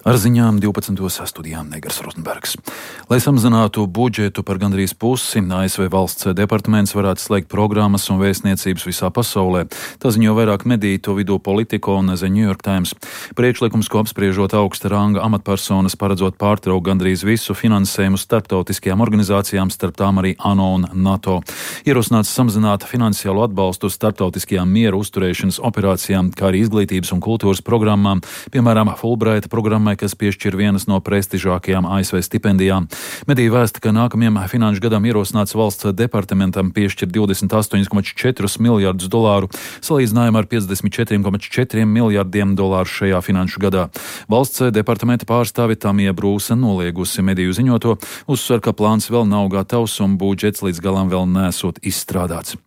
Ar ziņām 12. studijām Negars Rozenbergs. Lai samazinātu budžetu par gandrīz pusi, ASV valsts departaments varētu slēgt programmas un vēstniecības visā pasaulē. Tā ziņo vairāk mediju, to vidū Politico un The New York Times. Priekšlikums, ko apspriežot augsta ranga amatpersonas, paredzot pārtraukt gandrīz visu finansējumu starptautiskajām organizācijām, starp tām arī ANO un NATO. Ierosināts samazināt finansiālo atbalstu starptautiskajām miera uzturēšanas operācijām, kā arī izglītības un kultūras programmām, piemēram, Fulbrighta programmai, kas piešķir vienas no prestižākajām ASV stipendijām. Mediju vēsta, ka nākamajam finanšu gadam ierosināts valsts departamentam piešķir 28,4 miljardus dolāru, salīdzinājumā ar 54,4 miljardiem dolāru šajā finanšu gadā. Valsts departamenta pārstāve Tamija Brūsa noliegusi mediju ziņoto, uzsver, ka plāns vēl nav gatavs un budžets līdz galam vēl nesot izstrādāts.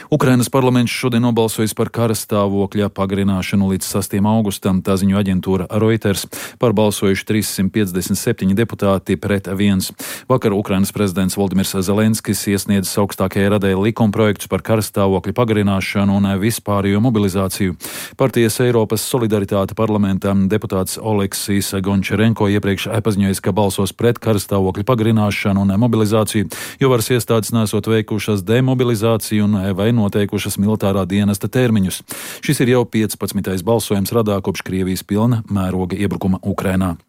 Ukrainas parlaments šodien nobalsojis par kara stāvokļa pagarināšanu līdz 6. augustam, tā ziņo aģentūra Reuters. Pārbalsojuši 357 deputāti pret 1. Vakar Ukrainas prezidents Voldimirs Zelenskis iesniedzis augstākajai radai likumprojektus par kara stāvokļa pagarināšanu un vispārējo mobilizāciju. Partijas Eiropas solidaritāte parlamentā deputāts Oleksijs Gončarenko iepriekš paziņojis, ka balsos pret kara stāvokļa pagarināšanu un mobilizāciju, jo varas iestādes nesot veikušas demobilizāciju un vai noteikušas militārā dienesta termiņus. Šis ir jau 15. balsojums radā kopš Krievijas pilna mēroga iebrukuma Ukrainā.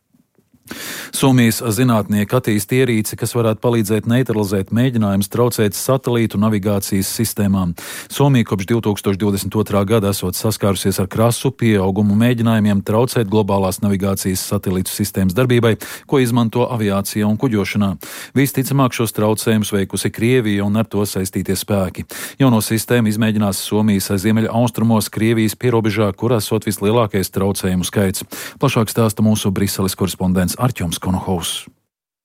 Somijas zinātnieki attīsta ierīci, kas varētu palīdzēt neutralizēt mēģinājumus traucēt satelītu navigācijas sistēmām. Somija kopš 2022. gada esot saskārusies ar krasu pieaugumu mēģinājumiem traucēt globālās navigācijas satelītu sistēmas darbībai, ko izmanto aviācijā un kuģošanā. Visticamāk šos traucējumus veikusi Krievija un ar to saistītie spēki. Jauno sistēmu izmēģinās Somijas ziemeļa austrumos Krievijas pierobežā, kur esot vislielākais traucējumu skaits. Plašāk stāsta mūsu Briseles korespondents Artjoms Konohovs.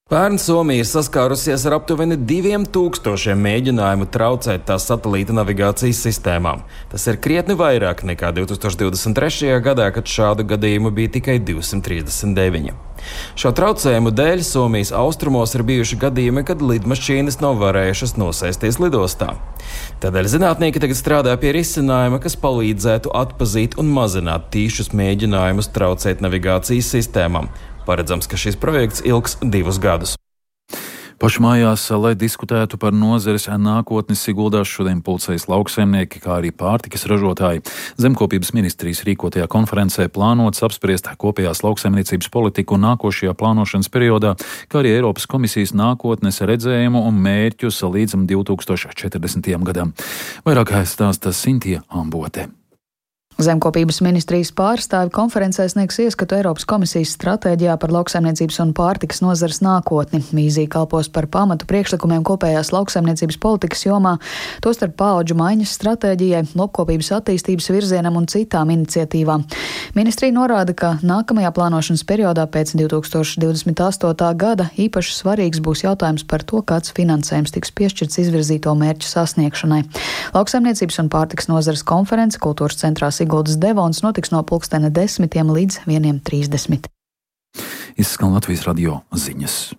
Pērn Somija ir saskārusies ar aptuveni 2000 mēģinājumu traucēt tās satelīta navigācijas sistēmām. Tas ir krietni vairāk nekā 2023. gadā, kad šādu gadījumu bija tikai 239. Šo traucējumu dēļ Somijas austrumos ir bijuši gadījumi, kad lidmašīnas nav varējušas nosēsties lidostā. Tādēļ zinātnieki tagad strādā pie risinājuma, kas palīdzētu atpazīt un mazināt tīšus mēģinājumus traucēt navigācijas sistēmām. Paredzams, ka šis projekts ilgs 2 gadus. Pašmājās, lai diskutētu par nozares nākotni, ieguldās šodien pulcējas lauksaimnieki, kā arī pārtikas ražotāji. Zemkopības ministrijas rīkotajā konferencē plānots apspriest kopējās lauksaimniecības politiku nākošajā plānošanas periodā, kā arī Eiropas komisijas nākotnes redzējumu un mērķus līdz 2040. gadam. Vairāk stāsta Sintija Ambote. Zemkopības ministrijas pārstāvi konferencē sniegs ieskatu Eiropas komisijas stratēģijā par lauksaimniecības un pārtikas nozares nākotni. Vīzija kalpos par pamatu priekšlikumiem kopējās lauksaimniecības politikas jomā, tostarp paudžu maiņas stratēģijai, lopkopības attīstības virzienam un citām iniciatīvām. Ministrija norāda, ka nākamajā plānošanas periodā pēc 2028. gada īpaši svarīgs būs jautājums par to, kāds finansējums tiks piešķirts izvirzīto mērķu sasniegšanai. Lauksaimniecības un pārtikas nozares konference Kultūras centrā Siguldas Devons notiks no 10:00 līdz 1:30. Izskan Latvijas radio ziņas.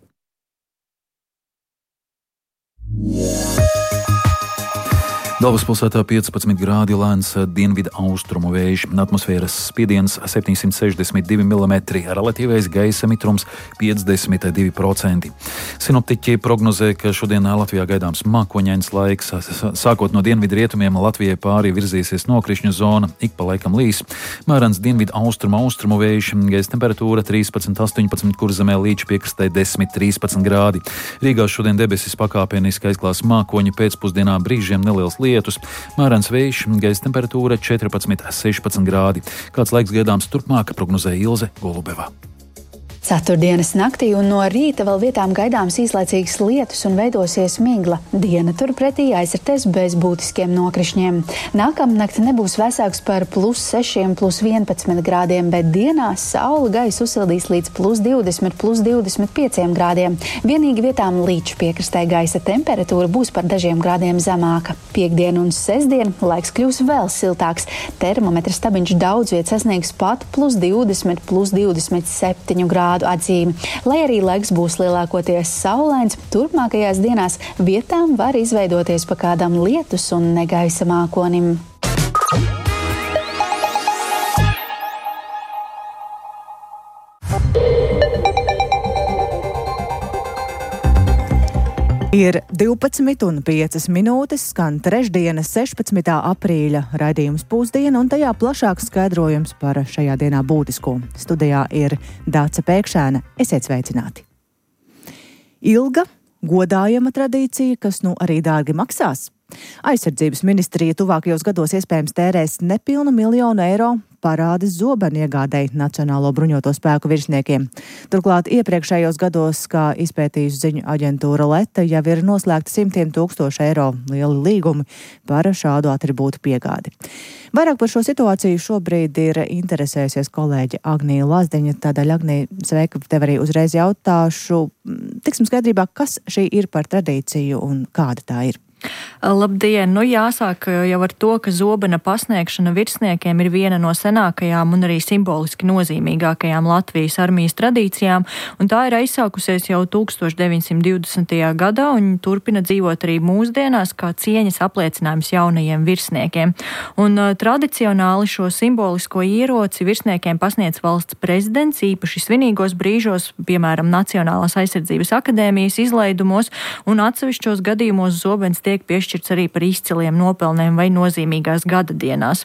Galvaspilsētā 15 grādi, lēns dienvidu austrumu vējš, atmosfēras spiediens 762 mm, relatīvais gaisa mitrums 52%. Sinoptiķi prognozē, ka šodien Latvijā gaidāms mākoņains laiks. Sākot no dienvidu rietumiem Latvijai pāri virzīsies nokrišņu zona, ik pa laikam līs. Mērens dienvidu austrumu vējš, gaisa temperatūra 13,18, Kurzemē līča piekrastē 10,13 grādi. Rīgā šodien debesis pakāpeniski aizklās mākoņi, pēcpusdienā brīžiem neliels lietus, mērens vējš, gaisa temperatūra 14,16 grādi. Kāds laiks gaidāms turpmāk, prognozē Ilze Golubeva. Ceturtdienas naktī un no rīta vēl vietām gaidāms īslaicīgs lietus un veidosies migla. Diena turpretī aizritēs bez būtiskiem nokrišņiem. Nākamnakt nebūs vēsāks par +6, +11 grādiem, bet dienās saule gaisu uzsildīs līdz +20, +25 grādiem. Vienīgi vietām līča piekrastē gaisa temperatūra būs par dažiem grādiem zemāka. Piektdien un sestdien laiks kļūs vēl siltāks. Termometra stabiņš daudz viet sasniegs pat +20, +27 grādu atzīmi. Lai arī laiks būs lielākoties saulains, turpmākajās dienās vietām var izveidoties pa kādam lietus un negaisa mākonim. Ir 12:05, skan trešdienas 16. aprīļa raidījums Pusdiena, un tajā plašāks skaidrojums par šajā dienā būtisko. Studijā ir Dāca Pēkšēna. Esiet sveicināti! Ilga, godājama tradīcija, kas nu arī dārgi maksās. Aizsardzības ministrija tuvākajos gados iespējams tērēs nepilnu 1 miljonu eiro parādes zobenu iegādēji Nacionālo bruņoto spēku virsniekiem. Turklāt iepriekšējos gados, kā izpētījusi ziņu aģentūra Leta, jau ir noslēgti simtiem tūkstošu eiro lieli līgumi par šādu atribūtu piegādi. Vairāk par šo situāciju šobrīd ir interesējusies kolēģe Agnija Lazdiņa. Tādēļ, Agnija, sveika, tev arī uzreiz jautāšu. Tiksim skaidrībā, kas šī ir par tradīciju un kāda tā ir. Labdien! Jāsāk jau ar to, ka zobena pasniegšana virsniekiem ir viena no senākajām un arī simboliski nozīmīgākajām Latvijas armijas tradīcijām, un tā ir aizsākusies jau 1920. gadā un turpina dzīvot arī mūsdienās kā cieņas apliecinājums jaunajiem virsniekiem. Un tradicionāli šo simbolisko ieroci virsniekiem pasniedz valsts prezidents, īpaši svinīgos brīžos, piemēram, Nacionālās aizsardzības akadēmijas izlaidumos, un atsevišķos gadījumos zobens tiek piešķirts arī par izciliem nopelniem vai nozīmīgās gada dienās.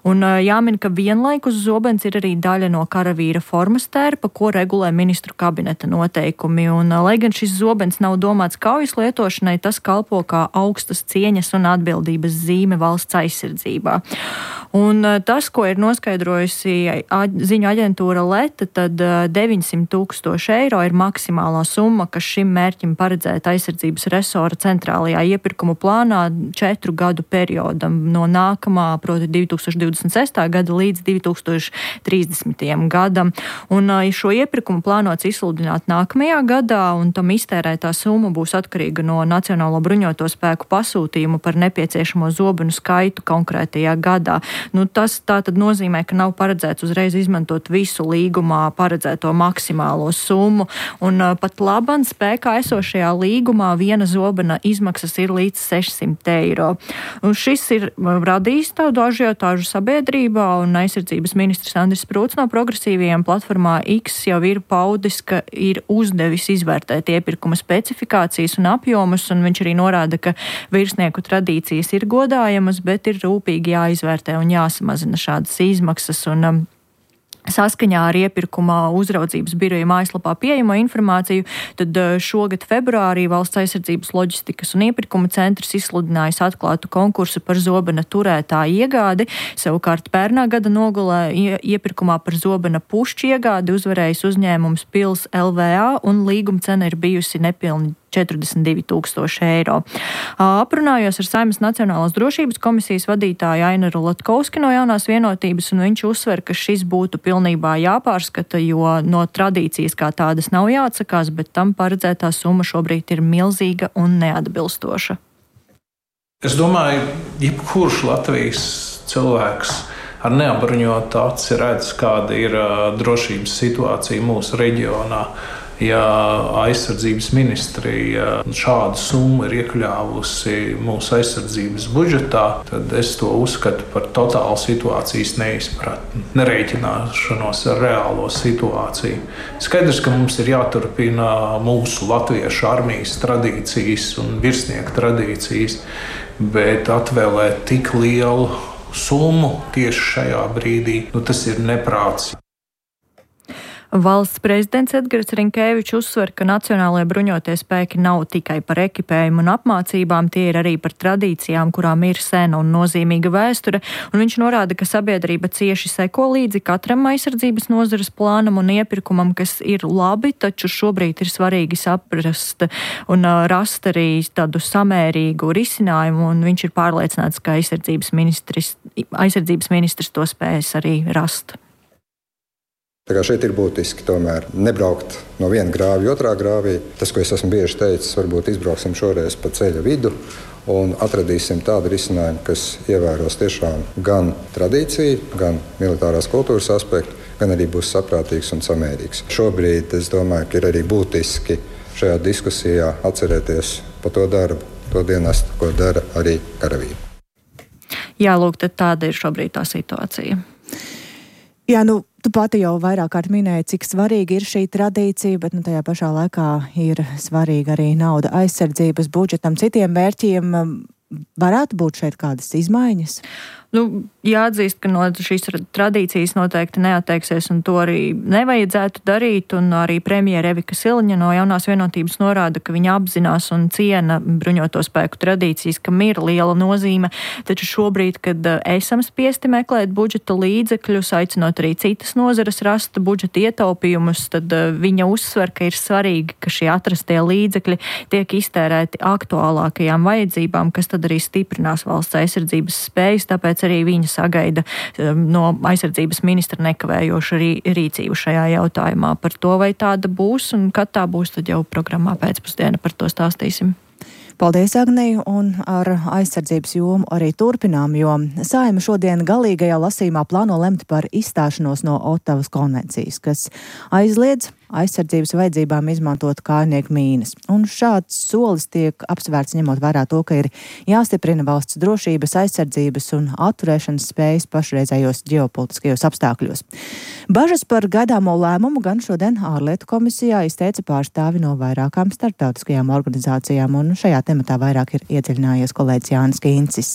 Un jāmin, ka vienlaikus zobens ir arī daļa no karavīra formas tērpa, ko regulē ministru kabineta noteikumi. Un, lai gan šis zobens nav domāts kaujas lietošanai, tas kalpo kā augstas cieņas un atbildības zīme valsts aizsardzībā. Un tas, ko ir noskaidrojusi ziņu aģentūra Leta, tad 900 000 eiro ir maksimālā summa, kas šim mērķim paredzēta aizsardzības resora centrālajā iepirkumu plānā 4 gadu periodam no nākamā, proti 2026. gada līdz 2030. gadam. Un šo iepirkumu plānots izsludināt nākamajā gadā, un tam iztērētā summa būs atkarīga no Nacionālo bruņoto spēku pasūtījumu par nepieciešamo zobenu skaitu konkrētajā gadā. Tas tā tad nozīmē, ka nav paredzēts uzreiz izmantot visu līgumā paredzēto maksimālo summu, un pat laban spēkā esošajā līgumā viena zobena izmaksas ir līdz 600 eiro. Un šis ir radījis tādu ažiotāžu sabiedrībā, un aizsardzības ministrs Andris Sprūts no progresīvajiem platformā X jau ir paudis, ka ir uzdevis izvērtēt iepirkuma specifikācijas un apjomus, un viņš arī norāda, ka virsnieku tradīcijas ir godājamas, bet ir rūpīgi jāizvērtē un jāsamazina šādas izmaksas, un saskaņā ar iepirkuma uzraudzības biroja mājaslapā pieejamo informāciju, tad šogad februārī Valsts aizsardzības loģistikas un iepirkuma centrs izsludinājis atklātu konkursu par zobena turētāju iegādi. Savukārt pērnā gada nogulē iepirkumā par zobena pušķu iegādi uzvarējis uzņēmums Pils LVA, un līguma cena ir bijusi nepilni 42 000 eiro. Aprunājos ar Saeimas Nacionālās drošības komisijas vadītāju Ainaru Latkovski no Jaunās vienotības, un viņš uzsver, ka šis būtu pilnībā jāpārskata, jo no tradīcijas kā tādas nav jāatsakās, bet tam paredzētā summa šobrīd ir milzīga un neatbilstoša. Es domāju, jebkurš Latvijas cilvēks ar neapbruņotu aci redz, kāda ir drošības situācija mūsu reģionā. Ja aizsardzības ministrija šādu summu ir iekļāvusi mūsu aizsardzības budžetā, tad es to uzskatu par totālu situācijas neizpratni, nerēķināšanos ar reālo situāciju. Skaidrs, ka mums ir jāturpina mūsu latviešu armijas tradīcijas un virsnieku tradīcijas, bet atvēlēt tik lielu summu tieši šajā brīdī, tas ir neprāts. Valsts prezidents Edgars Rinkēvičs uzsver, ka Nacionālajie bruņotie spēki nav tikai par ekipējumu un apmācībām, tie ir arī par tradīcijām, kurām ir sena un nozīmīga vēsture, un viņš norāda, ka sabiedrība cieši seko līdzi katram aizsardzības nozares plānam un iepirkumam, kas ir labi, taču šobrīd ir svarīgi saprast un rast arī tādu samērīgu risinājumu, un viņš ir pārliecināts, ka aizsardzības ministrs to spējas arī rast. Tā kā šeit ir būtiski tomēr nebraukt no viena grāvja otrā grāvī. Tas, ko es esmu bieži teicis, varbūt izbrauksim šoreiz pa ceļa vidu un atradīsim tādu risinājumu, kas ievēros tiešām gan tradīciju, gan militārās kultūras aspektu, gan arī būs saprātīgs un samērīgs. Šobrīd es domāju, ka ir arī būtiski šajā diskusijā atcerēties par to darbu, to dienestu, ko dara arī karavīri. Jā, lūk, tad tāda ir šobrīd tā situācija. Jā, tu pati jau vairāk kārt minēji, cik svarīga ir šī tradīcija, bet tajā pašā laikā ir svarīga arī nauda aizsardzības budžetam, citiem mērķiem. Varētu būt šeit kādas izmaiņas? Jāatzīst, ka no šīs tradīcijas noteikti neatteiksies, un to arī nevajadzētu darīt, un arī premjera Evika Siliņa no Jaunās vienotības norāda, ka viņa apzinās un ciena bruņoto spēku tradīcijas, kam ir liela nozīme, taču šobrīd, kad esam spiesti meklēt budžeta līdzekļus, aicinot arī citas nozares rast budžeta ietaupījumus, tad viņa uzsver, ka ir svarīgi, ka šie atrastie līdzekļi tiek iztērēti aktuālākajām vajadzībām, kas tad arī stiprinās valsts aizsardzības spējas, tāpēc arī viņa sagaida no aizsardzības ministra nekavējošu rīcību šajā jautājumā. Par to, vai tāda būs un kad tā būs, tad jau programmā pēcpusdiena par to stāstīsim. Paldies, Agnija, un ar aizsardzības jomu arī turpinām, jo Saeima šodien galīgajā lasījumā plāno lemt par izstāšanos no Otavas konvencijas, kas aizliedz aizsardzības vajadzībām izmantot kājnieku mīnas. Un šāds solis tiek apsvērts ņemot vērā to, ka ir jāstiprina valsts drošības, aizsardzības un atturēšanas spējas pašreizējos ģeopolitiskajos apstākļos. Bažas par gaidāmo lēmumu gan šodien ārlietu komisijā izteica pārstāvi no vairākām starptautiskajām organizācijām, un šajā tematā vairāk ir iedziļinājies kolēģis Jānis Kīncis.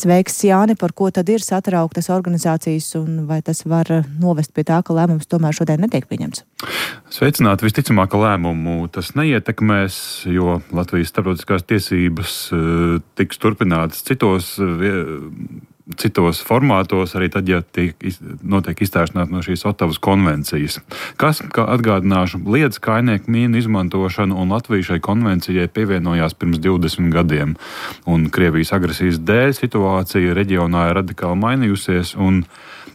Sveiks, Jāni, par ko tad ir satrauktas organizācijas un vai tas var novest pie tā, ka lēmums tomēr šodien netiek pieņemts? Sveicināti, visticamāk, ka lēmumu tas neietekmēs, jo Latvijas starptautiskās tiesības tiks turpinātas citos formātos, arī tad, ja notiek izstāšanās no šīs Otavas konvencijas. Kas, kā atgādināšu, liedz kājnieku mīnu izmantošanu, un Latvija šai konvencijai pievienojās pirms 20 gadiem. Un Krievijas agresijas dēļ situācija reģionā ir radikāli mainījusies, un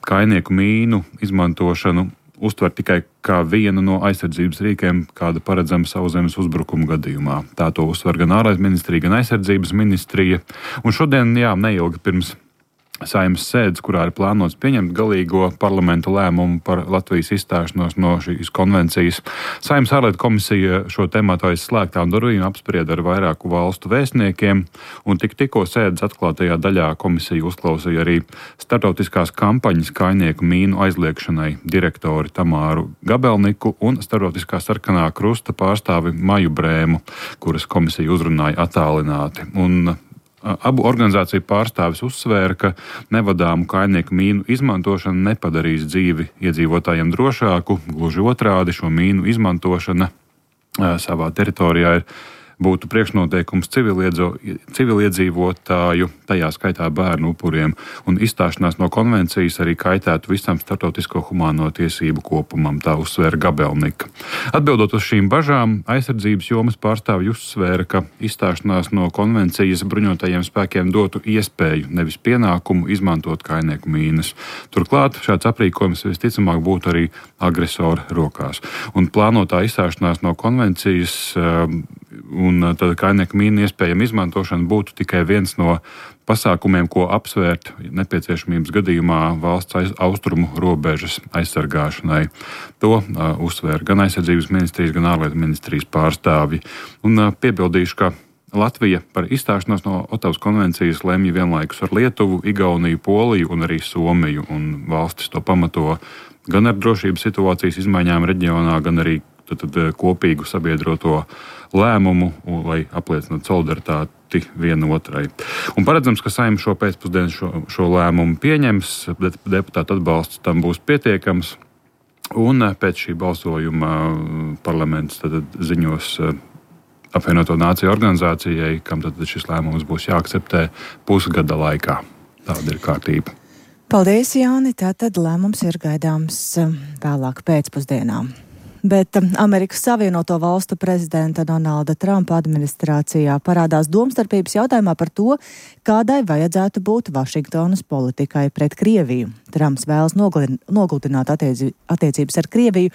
kājnieku mīnu izmantošanu uztver tikai kā vienu no aizsardzības rīkiem, kāda paredzama sauszemes uzbrukuma gadījumā. Tā to uztver gan ārlietu ministrija, gan aizsardzības ministrija. Un šodien, neilgi pirms Saeimas sēdes, kurā ir plānots pieņemt galīgo parlamentu lēmumu par Latvijas izstāšanos no šīs konvencijas, Saeimas ārlietu komisija šo tematu aiz slēgtām durvīm apsprieda ar vairāku valstu vēstniekiem, un tikko sēdes atklātajā daļā komisija uzklausīja arī starptautiskās kampaņas kājnieku mīnu aizliegšanai direktori Tamāru Gabelniku un starptautiskā sarkanā krusta pārstāvi Maju Brēmu, kuras komisija uzrunāja attālināti. Un abu organizāciju pārstāvis uzsvēra, ka nevadāmu kājnieku mīnu izmantošana nepadarīs dzīvi iedzīvotājiem drošāku, gluži otrādi šo mīnu izmantošana savā teritorijā būtu priekšnoteikums civiliedzīvotāju, tajā skaitā bērnu upuriem, un izstāšanās no konvencijas arī kaitētu visam starptautisko humāno tiesību kopumam, tā uzsvēra Gabelnika. Atbildot uz šīm bažām, aizsardzības jomas pārstāvji uzsvēra, ka izstāšanās no konvencijas bruņotajiem spēkiem dotu iespēju, nevis pienākumu izmantot kājnieku mīnas. Turklāt šāds aprīkojums visticamāk būtu arī agresora rokās. Un plānotā izstāšanās no konvencijas un tad kājnieku mīnu iespējama izmantošana būtu tikai viens no pasākumiem, ko apsvērt nepieciešamības gadījumā valsts austrumu robežas aizsargāšanai. To uzsvēra gan aizsardzības ministrijas, gan ārlietu ministrijas pārstāvji. Un piebildīšu, ka Latvija par izstāšanos no Otavas konvencijas lemj vienlaikus ar Lietuvu, Igauniju, Poliju un arī Somiju, un valstis to pamato gan ar drošības situācijas izmaiņām reģionā, gan arī kopīgu sabiedroto lēmumu, lai apliecinātu solidaritāti vienotrai. Un paredzams, ka Saeima šo pēcpusdienu šo lēmumu pieņems, deputātu atbalsts tam būs pietiekams, un pēc šī balsojuma parlaments tad ziņos apvienoto nāciju organizācijai, kam tad šis lēmums būs jāakceptē pusgada laikā. Tāda ir kārtība. Paldies, Jāni. Tātad lēmums ir gaidāms vēlāk pēcpusdienā. Bet Amerikas Savienoto Valstu prezidenta Donalda Trumpa administrācijā parādās domstarpības jautājumā par to, kādai vajadzētu būt Vašingtonas politikai pret Krieviju. Trumps vēlas nogludināt attiecības ar Krieviju,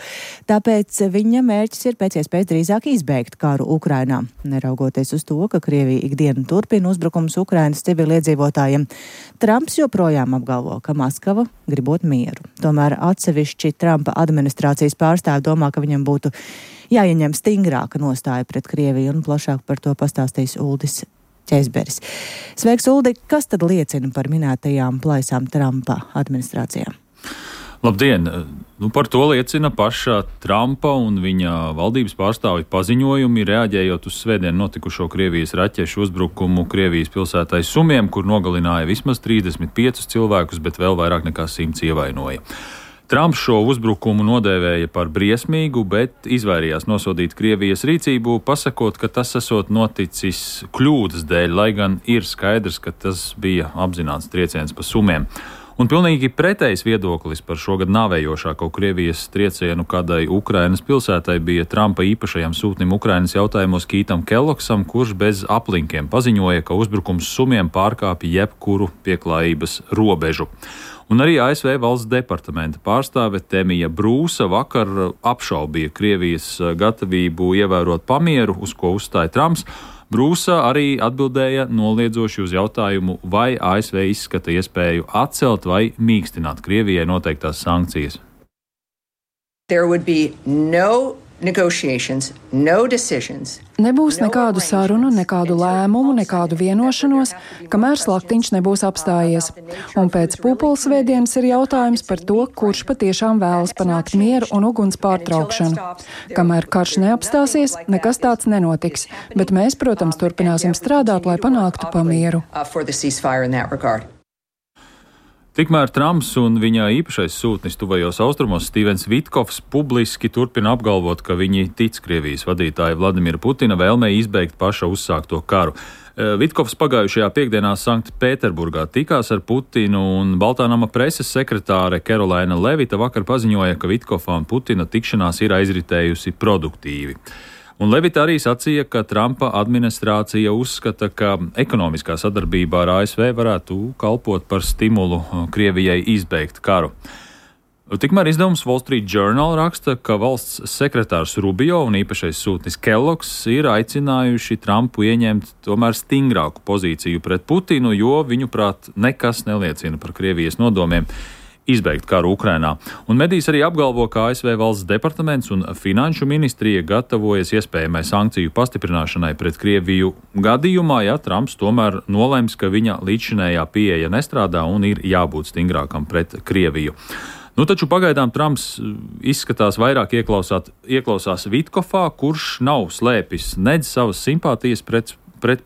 tāpēc viņa mērķis ir pēc iespējas drīzāk izbeigt karu Ukrainā. Neraugoties uz to, ka Krievija ikdienu turpina uzbrukums Ukrainas civiliedzīvotājiem, Trumps joprojām apgalvo, ka Maskava gribot mieru. Tomēr atsevišķi Trumpa administrācijas pārstāvi domā, ka viņam būtu jāieņem stingrāka nostāja pret Krieviju, un plašāk par to pastāstīs Uldis Ķēzberis. Sveiks, Uldi! Kas tad liecina par minētajām plaisām Trumpa administrācijā? Labdien! Par to liecina paša Trumpa un viņa valdības pārstāvju paziņojumi, reaģējot uz svētdien notikušo Krievijas raķešu uzbrukumu Krievijas pilsētai Sumiem, kur nogalināja vismaz 35 cilvēkus, bet vēl vairāk nekā 100 ievainoja. Trumps šo uzbrukumu nodēvēja par briesmīgu, bet izvairījās nosodīt Krievijas rīcību, pasakot, ka tas esot noticis kļūdas dēļ, lai gan ir skaidrs, ka tas bija apzināts trieciens pa Sumiem. Un pilnīgi pretējs viedoklis par šogad nāvējošāko Krievijas triecienu kādai Ukrainas pilsētai bija Trumpa īpašajam sūtnim Ukrainas jautājumos Kītam Kellogsam, kurš bez aplinkiem paziņoja, ka uzbrukums Sumiem pārkāpja jebkuru pieklājības robežu. Un arī ASV valsts departamenta pārstāve Temija Brūsa vakar apšaubīja Krievijas gatavību ievērot pamieru, uz ko uzstāja Trumps. Brūsa arī atbildēja noliedzoši uz jautājumu, vai ASV izskata iespēju atcelt vai mīkstināt Krievijai noteiktās sankcijas. Nebūs nekādu sarunu, nekādu lēmumu, nekādu vienošanos, kamēr slaktiņš nebūs apstājies. Un pēc pūpolsvētdienas ir jautājums par to, kurš patiešām vēlas panākt mieru un uguns pārtraukšanu. Kamēr karš neapstāsies, nekas tāds nenotiks, bet mēs, protams, turpināsim strādāt, lai panāktu pamieru. Tikmēr Trumps un viņa īpašais sūtnis tuvajos austrumos Stīvens Vitkovs publiski turpina apgalvot, ka viņi tic Krievijas vadītāja Vladimira Putina vēlmei izbeigt paša uzsākto karu. Vitkovs pagājušajā piekdienā Sanktpēterburgā tikās ar Putinu, un Baltā nama preses sekretāre Kerolaina Levita vakar paziņoja, ka Vitkova un Putina tikšanās ir aizritējusi produktīvi. Un Levita arī sacīja, ka Trumpa administrācija uzskata, ka ekonomiskā sadarbība ar ASV varētu kalpot par stimulu Krievijai izbeigt karu. Tikmēr izdevums Wall Street Journal raksta, ka valsts sekretārs Rubio un īpašais sūtnis Kellogs ir aicinājuši Trumpu ieņemt tomēr stingrāku pozīciju pret Putinu, jo viņuprāt nekas neliecina par Krievijas nodomiem izbeigt karu Ukrainā. Un medijs arī apgalvo, ka ASV valsts departaments un finanšu ministrija gatavojas iespējamai sankciju pastiprināšanai pret Krieviju gadījumā, ja Trumps tomēr nolems, ka viņa līdzšinējā pieeja nestrādā un ir jābūt stingrākam pret Krieviju. Taču pagaidām Trumps izskatās vairāk ieklausās Vitkovā, kurš nav slēpis nedz savas simpātijas pret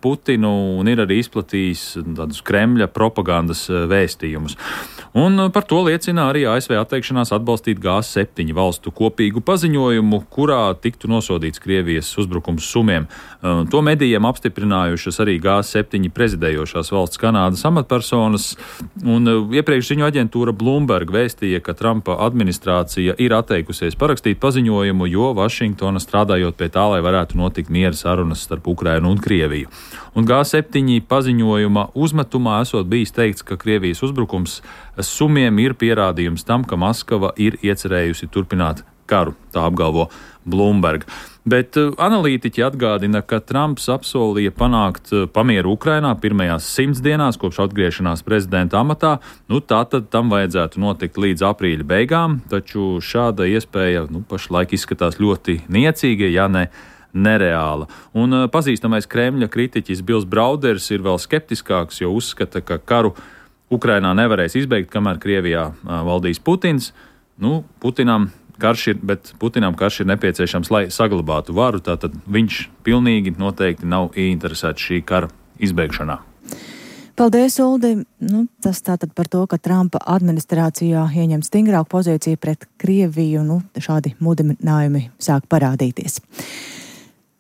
Putinu un ir arī izplatījis tādus Kremļa propagandas vēstījumus. Un par to liecina arī ASV atteikšanās atbalstīt G7 valstu kopīgu paziņojumu, kurā tiktu nosodīts Krievijas uzbrukums Sumiem. To medijiem apstiprinājušas arī G7 prezidējošās valsts Kanādas amatpersonas, un iepriekš ziņu aģentūra Bloomberg vēstīja, ka Trumpa administrācija ir atteikusies parakstīt paziņojumu, jo Vašingtona strādājot pie tā, lai varētu notikt miera sarunas starp Ukrainu un Krieviju. Un G7 paziņojuma uzmetumā esot bijis teikts, ka Krievijas uzbrukums Sumiem ir pierādījums tam, ka Maskava ir iecerējusi turpināt karu, tā apgalvo Bloomberg. Bet analītiķi atgādina, ka Trumps apsolīja panākt pamieru Ukrainā pirmajās 100 dienās kopš atgriešanās prezidenta amatā. Tātad tam vajadzētu notikt līdz aprīļa beigām, taču šāda iespēja pašlaik izskatās ļoti niecīga, ja ne nereāla. Un pazīstamais Kremļa kritiķis Bils Brauders ir vēl skeptiskāks, jo uzskata, ka karu Ukrainā nevarēs izbeigt, kamēr Krievijā valdīs Putins. Putinam karš ir nepieciešams, lai saglabātu varu, tātad viņš pilnīgi noteikti nav ieinteresēts šī kara izbeigšanā. Paldies, Uldi. Tas tātad par to, ka Trumpa administrācijā ieņem stingrāku pozīciju pret Krieviju, šādi mudinājumi sāk parādīties.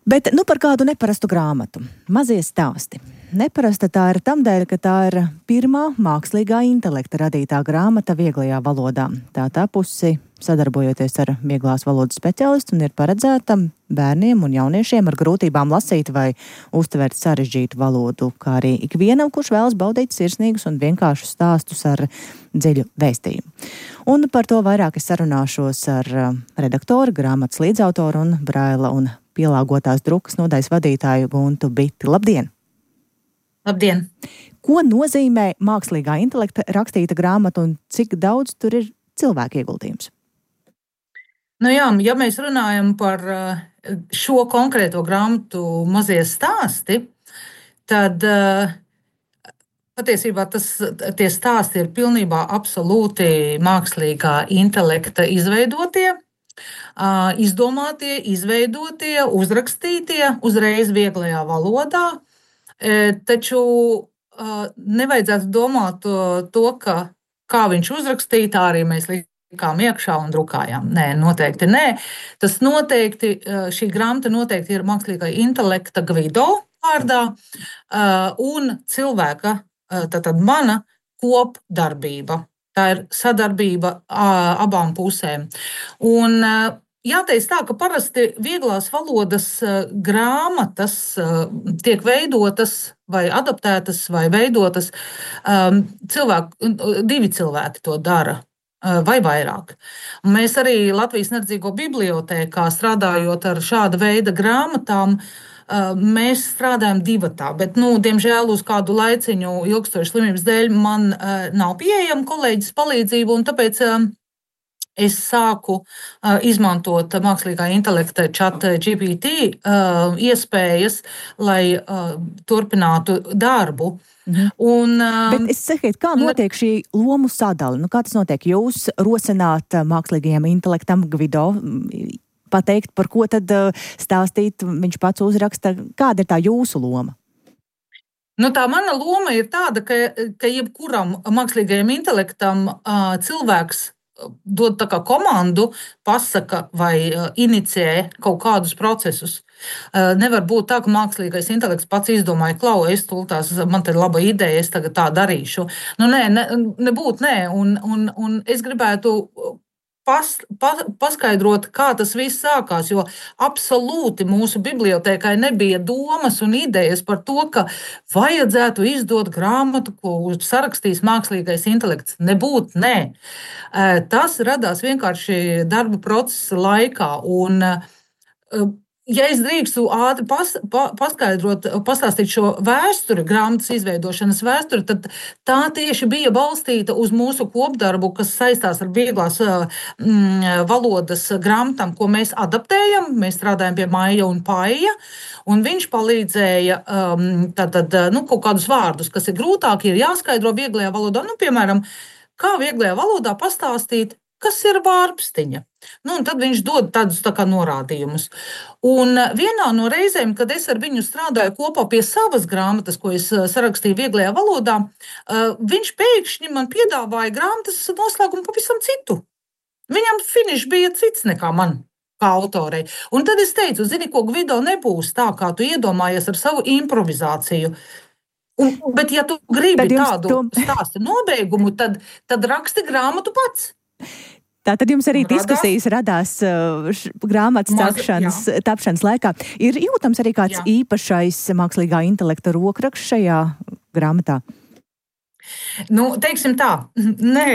Bet par kādu neparastu grāmatu. Mazie stāsti. Neparasta tā ir tamdēļ, ka tā ir pirmā mākslīgā intelekta radītā grāmata vieglajā valodā. Tā tapusi sadarbojoties ar vieglās valodas speciālistu un ir paredzēta bērniem un jauniešiem ar grūtībām lasīt vai uztvert sarežģītu valodu, kā arī ikvienam, kurš vēlas baudīt sirsnīgus un vienkāršus stāstus ar dziļu vēstījumu. Un par to vairāk es sarunāšos ar redaktoru, grāmatas līdzautoru un braila un pielāgotās drukas nodaļas vadītāju Guntu Biti. Labdien! Labdien! Ko nozīmē mākslīgā intelekta rakstīta grāmata un cik daudz tur ir cilvēku ieguldījums? Ja mēs runājam par šo konkrēto grāmatu Mazie stāsti, tad patiesībā tie stāsti ir pilnībā absolūti mākslīgā intelekta izveidotie, izdomātie, izveidotie, uzrakstītie uzreiz vieglajā valodā. Taču nevajadzētu domāt to, ka kā viņš uzrakstīja, tā arī mēs likām iekšā un drukājām. Nē, noteikti nē. Tas noteikti, šī grāmata noteikti ir mākslīgā intelekta Gvido vārdā un cilvēka, tātad mana kopdarbība. Tā ir sadarbība abām pusēm. Un jāteic tā, ka parasti vieglās valodas grāmatas tiek veidotas vai adaptētas vai veidotas divi cilvēki to dara. Vai vairāk. Mēs arī Latvijas neredzīgo bibliotēkā strādājot ar šāda veida grāmatām, mēs strādājam divatā, bet, diemžēl, uz kādu laiciņu ilgstošas slimības dēļ man nav pieejama kolēģis palīdzība, un tāpēc es sāku izmantot mākslīgā intelekta ChatGPT iespējas, lai turpinātu darbu. Bet es sakiet, kā notiek šī lomu sadali? Kā tas notiek? Jūs rosināt mākslīgajam intelektam Gvido pateikt, par ko tad stāstīt, viņš pats uzraksta. Kāda ir tā jūsu loma? Tā mana loma ir tāda, ka jebkuram mākslīgajam intelektam cilvēks dod tā kā komandu, pasaka vai inicijē kaut kādus procesus. Nevar būt tā, ka mākslīgais intelekts pats izdomāja, man te ir laba ideja, es tagad tā darīšu. Nē. Un es gribētu paskaidrot, kā tas viss sākās, jo absolūti mūsu bibliotēkai nebija domas un idejas par to, ka vajadzētu izdot grāmatu, ko sarakstīs mākslīgais intelekts. Nē. Tas radās vienkārši darba procesa laikā. Un, ja es drīkstu ātri pastāstīt šo vēsturi, grāmatas izveidošanas vēsturi, tad tā tieši bija balstīta uz mūsu kopdarbu, kas saistās ar vieglās valodas grāmatām, ko mēs adaptējam. Mēs strādājam pie Maija un Paija, un viņš palīdzēja kaut kādus vārdus, kas ir grūtāki, ir jāskaidro vieglajā valodā. Piemēram, kā vieglajā valodā pastāstīt, kas ir vārpstiņa. Un tad viņš dod tādus tā kā norādījumus. Un vienā no reizēm, kad es ar viņu strādāju kopā pie savas grāmatas, ko es sarakstīju vieglajā valodā, viņš pēkšņi man piedāvāja grāmatas noslēgumu pavisam citu. Viņam finišs bija cits nekā man, kā autorei. Un tad es teicu, zini, ko Gvido nebūs tā, kā tu iedomājies ar savu improvizāciju. Bet ja tu gribi tādu stāstu nobeigumu, tad raksti grāmatu pats. Tātad jums arī diskusijas radās grāmatas tapšanas laikā. Ir jūtams arī kāds īpašais mākslīgā intelekta rokraksts šajā grāmatā? Teiksim tā, nē,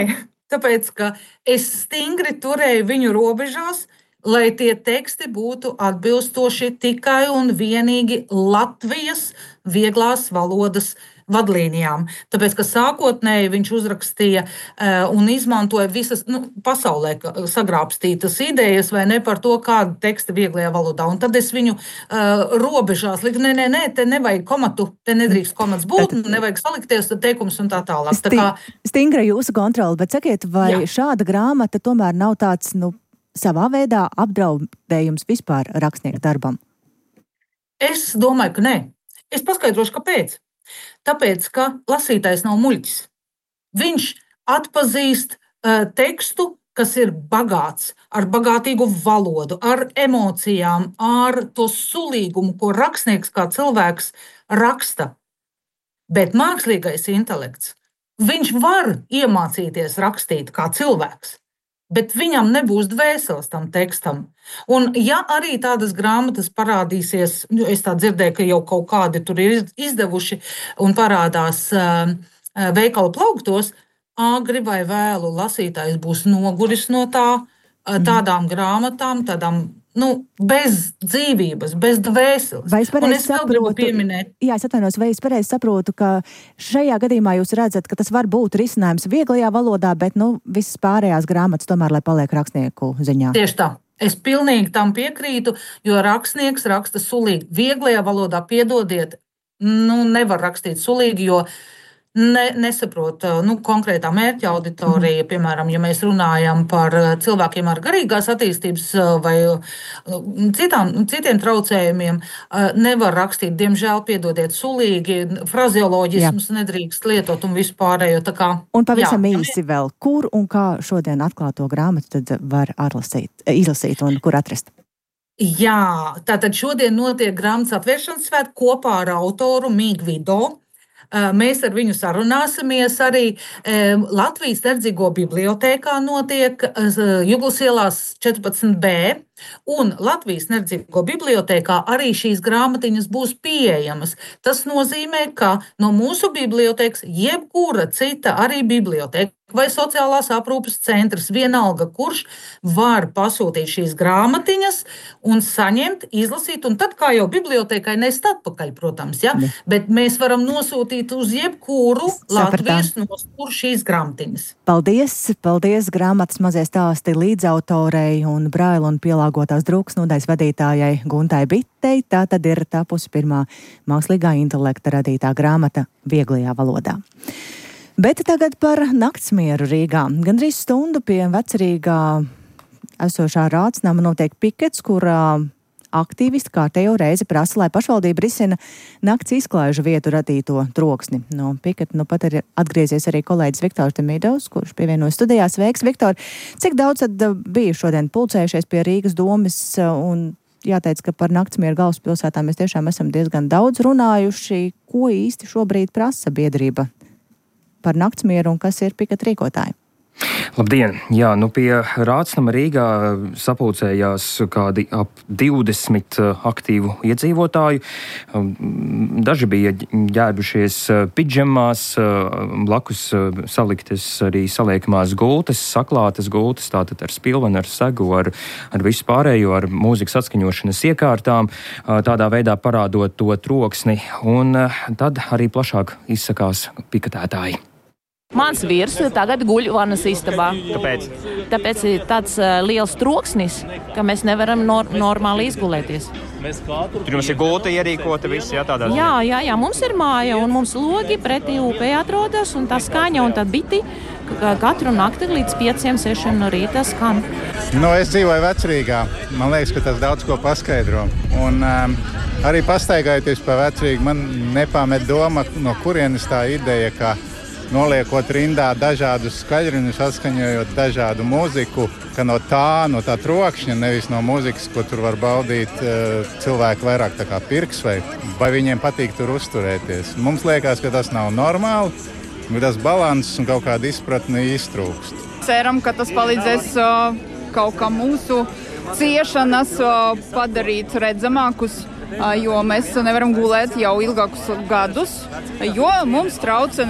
tāpēc, ka es stingri turēju viņu robežās, lai tie teksti būtu atbilstoši tikai un vienīgi Latvijas vieglās valodas vadlīnijām. Tāpēc, ka sākotnēji viņš uzrakstīja un izmantoja visas pasaulē sagrābstītas idejas vai ne par to, kāda teksta vieglajā valodā. Un tad es viņu robežās liku, nē, te nevajag komatu, te nedrīkst komats būt, nevajag salikties teikums un tā tālāk. Stingra jūsu kontrola, bet sakiet, vai šāda grāmata tomēr nav tāds, savā veidā apdraudējums vispār rakstnieku darbam? Es domāju, ka nē. Es paskaidrošu, kāpēc. Tāpēc, ka lasītājs nav muļķis. Viņš atpazīst tekstu, kas ir bagāts, ar bagātīgu valodu, ar emocijām, ar to sulīgumu, ko rakstnieks kā cilvēks raksta. Bet mākslīgais intelekts, viņš var iemācīties rakstīt kā cilvēks, bet viņam nebūs dvēseles tam tekstam. Un ja arī tādas grāmatas parādīsies, es tā dzirdēju, ka jau kaut kādi tur ir izdevuši un parādās veikalu plauktos, agri vai vēlu lasītājs būs noguris no tādām grāmatām, tādām bez dzīvības, bez dvēseles. Vai es pareizi saprotu? Jā, es atvainojos, vai es pareizi saprotu, ka šajā gadījumā jūs redzat, ka tas var būt risinājums vieglajā valodā, bet visas pārējās grāmatas tomēr, lai paliek rakstnieku ziņā? Tieši tā. Es pilnīgi tam piekrītu, jo rakstnieks raksta sulīgi. Vieglajā valodā, piedodiet, nevar rakstīt sulīgi, jo nesaprot konkrētā mērķa auditorija. Piemēram, ja mēs runājam par cilvēkiem ar garīgās attīstības vai citiem traucējumiem, nevar rakstīt, diemžēl, piedodiet, sulīgi, frazeoloģismus nedrīkst lietot un vispārējo. Un pavisam īsi vēl, kur un kā šodien atklāto grāmatu tad var izlasīt un kur atrast? Jā, tātad šodien notiek grāmatas atvēršanas svētki kopā ar autoru Mīgu Vido. Mēs ar viņu sarunāsimies arī. Latvijas Verdzīgo bibliotēkā notiek Juglas ielās 14B, un Latvijas Verdzīgo bibliotēkā arī šīs grāmatiņas būs pieejamas. Tas nozīmē, ka no mūsu bibliotēkas jebkura cita arī bibliotēka vai sociālās aprūpes centrs, vienalga kurš, var pasūtīt šīs grāmatiņas un saņemt, izlasīt, un tad kā jau bibliotēkai nest atpakaļ, protams, ja? Bet mēs varam nosūtīt uz jebkuru Latvijas nosturu šīs grāmatiņas. Paldies grāmatas mazie stāsti līdzautorei un Braila un pielāgotās drūks nodaļas vadītājai Guntai Bitei. Tā tad ir tapusi pirmā mākslīgā intelekta radītā grāmata vieglajā valodā. Bet tagad par naktsmieru Rīgā. Gandrīz stundu pie Vecrīgā esošā Rācnama notiek pikets, kurā aktīvisti kārtējo reizi prasa, lai pašvaldība risina nakts izklaižu vietu radīto troksni. No piketa pat ir atgriezies arī kolēģis Viktors Demidovs, kurš pievienojas studijā. Sveiks, Viktor! Cik daudz tad bija šodien pulcējušies pie Rīgas domes un jāteic, ka par naktsmieru galvaspilsētā mēs tiešām esam diezgan daudz runājuši. Ko īsti šobrīd prasa biedrība par naktsmieru un kas ir piketa rīkotāji? Labdien! Jā, pie Rācnama Rīgā sapulcējās kādi ap 20 aktīvu iedzīvotāju. Daži bija ģērbušies pidžamās, blakus saliktas arī saliekamās gultas, saklātas gultas, tātad ar spilvenu, ar segu, ar visu pārējo, ar mūzikas atskaņošanas iekārtām, tādā veidā parādot to troksni, un tad arī plašāk izsakās piketētāji. Mans vīrs tagad guļ vanas istabā. Kāpēc? Tāpēc ir tāds liels troksnis, ka mēs nevaram normāli izgulēties. Tur jums ir gulta ierīkota visi, tādā? Jā, mums ir māja un mums logi pretī upē atrodas un tā skaņa un tā biti katru nakti līdz 5-6 no rīta skan. Es dzīvoju Vecrīgā. Man liekas, ka tas daudz ko paskaidro. Un arī pastaigājoties pa Vecrīgu, man nepamet doma, no kurienes tā ideja, ka noliekot rindā dažādus skaļruņus, atskaņojot dažādu mūziku, ka no tā trokšņa, nevis no mūzikas, ko tur var baudīt cilvēki vairāk tā kā pirks vai viņiem patīk tur uzturēties. Mums liekas, ka tas nav normāli, bet tas balanss un kaut kāda izpratne iztrūkst. Ceram, ka tas palīdzēs kaut kā mūsu ciešanas padarīt redzamākus, jo mēs nevaram gulēt jau ilgākus gadus, jo mums trauca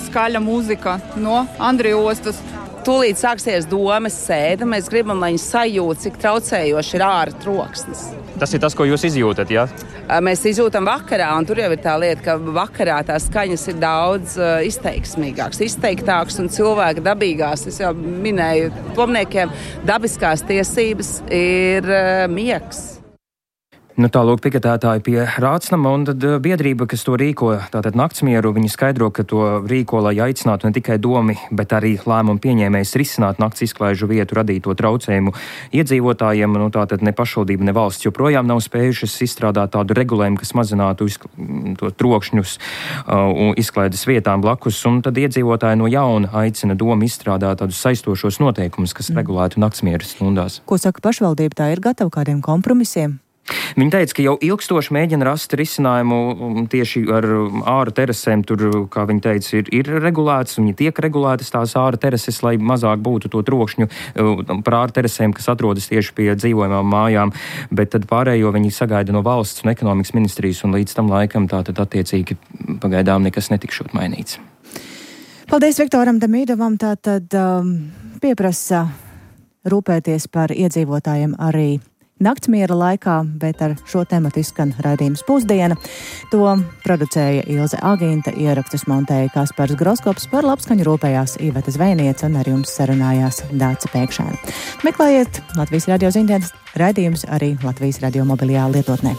skaļa mūzika no Andrija ostas. Tūlīt sāksies domes sēde, mēs gribam, lai viņi sajūt, cik traucējoši ir ārā troksnis. Tas ir tas, ko jūs izjūtat, jā? Mēs izjūtam vakarā, un tur jau ir tā lieta, ka vakarā tās skaņas ir daudz izteiktāks un cilvēka dabīgās, es jau minēju, tomniekiem dabiskās tiesības ir miegs. Tālūk piketētāji pie Rācnama, un tad biedrība, kas to rīko, tātad naktsmieru, viņi skaidro, ka to rīko, lai aicinātu ne tikai domi, bet arī lēmumu pieņēmējs risināt nakts izklaižu vietu radīto traucējumu iedzīvotājiem. Tātad ne pašvaldība, ne valsts joprojām nav spējušas izstrādāt tādu regulējumu, kas mazinātu to trokšņus izklaides vietām blakus, un tad iedzīvotāji no jauna aicina domu izstrādāt tādus saistošos noteikumus, kas regulētu naktsmieru stundās. Ko saka pašvaldība, tā ir gatava kādiem kompromisiem? Viņi teica, ka jau ilgstoši mēģina rast risinājumu tieši ar āra terasēm. Tur, kā viņi teica, ir regulēts, viņi tiek regulētas tās āra terases, lai mazāk būtu to trokšņu par āra terasēm, kas atrodas tieši pie dzīvojamām mājām. Bet tad pārējo viņi sagaida no valsts un ekonomikas ministrijas, un līdz tam laikam tātad attiecīgi pagaidām nekas netikšot mainīts. Paldies Viktoram Demidovam. Tātad pieprasa rūpēties par iedzīvotājiem arī naktsmiera laikā, bet ar šo tematu izskan raidījums Pusdiena. To producēja Ilze Agīnta, ierakstus montēja Kaspars Groskops, par labskaņu rūpējās Iveta Zvejniece un ar jums sarunājās Dāca Pēkšēna. Meklējiet Latvijas radio ziņdienas raidījumus arī Latvijas radio mobilajā lietotnē.